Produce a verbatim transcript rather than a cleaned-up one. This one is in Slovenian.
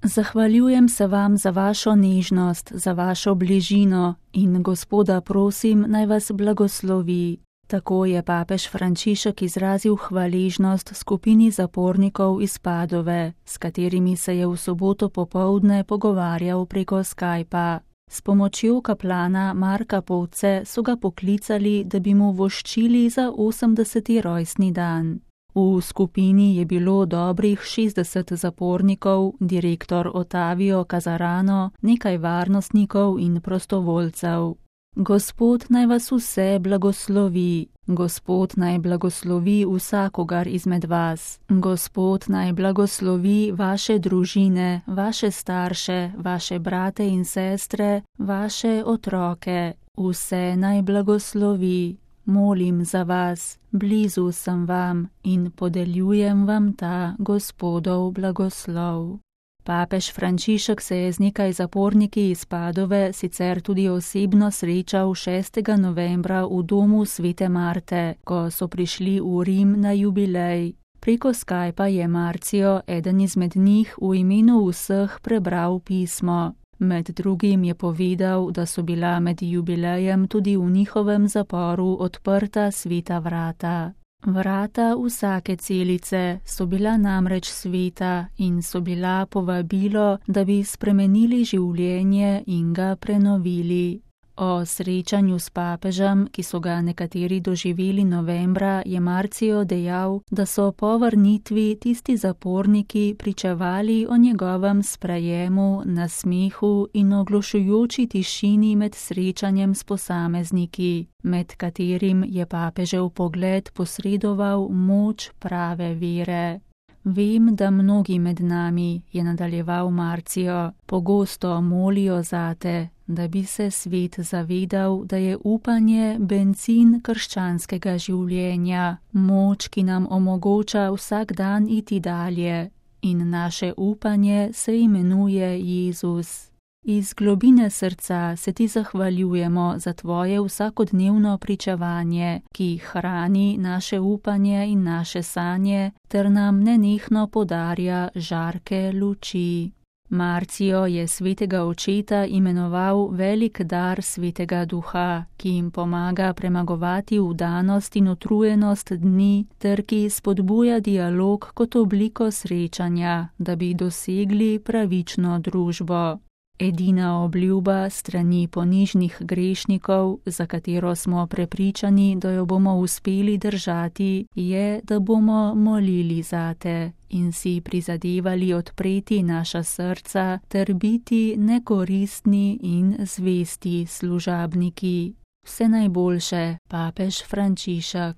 Zahvaljujem se vam za vašo nežnost, za vašo bližino in Gospoda prosim, naj vas blagoslovi. Tako je papež Frančišek izrazil hvaležnost skupini zapornikov iz Padove, s katerimi se je v soboto popoldne pogovarjal preko Skypa. S pomočjo kaplana Marka Povce so ga poklicali, da bi mu voščili za osemdeseti rojstni dan. V skupini je bilo dobrih šestdeset zapornikov, direktor Ottavio Casarano, nekaj varnostnikov in prostovoljcev. Gospod naj vas vse blagoslovi. Gospod naj blagoslovi vsakogar izmed vas. Gospod naj blagoslovi vaše družine, vaše starše, vaše brate in sestre, vaše otroke. Vse naj blagoslovi. Molim za vas, blizu sem vam in podeljujem vam ta Gospodov blagoslov. Papež Frančišek se je z nekaj zaporniki iz Padove sicer tudi osebno srečal šestega novembra v domu svete Marte, ko so prišli v Rim na jubilej. Preko Skypa je Marcio, eden izmed njih, v imenu vseh prebral pismo. Med drugim je povedal, da so bila med jubilejem tudi v njihovem zaporu odprta sveta vrata. Vrata vsake celice so bila namreč sveta in so bila povabilo, da bi spremenili življenje in ga prenovili. O srečanju s papežem, ki so ga nekateri doživeli novembra, je Marcio dejal, da so po vrnitvi tisti zaporniki pričevali o njegovem sprejemu, nasmehu in oglušujoči tišini med srečanjem s posamezniki, med katerim je papežev pogled posredoval moč prave vere. Vem, da mnogi med nami, je nadaljeval Marcio, pogosto molijo zate, da bi se svet zavedal, da je upanje bencin krščanskega življenja, moč, ki nam omogoča vsak dan iti dalje, in naše upanje se imenuje Jezus. Iz globine srca se ti zahvaljujemo za tvoje vsakodnevno pričevanje, ki hrani naše upanje in naše sanje, ter nam nenehno podarja žarke luči. Marcio je svetega očeta imenoval velik dar svetega duha, ki jim pomaga premagovati vdanost in utrujenost dni, ter ki spodbuja dialog kot obliko srečanja, da bi dosegli pravično družbo. Edina obljuba strani ponižnih grešnikov, za katero smo prepričani, da jo bomo uspeli držati, je, da bomo molili zate in si prizadevali odpreti naša srca ter biti nekoristni in zvesti služabniki. Vse najboljše, papež Frančišek.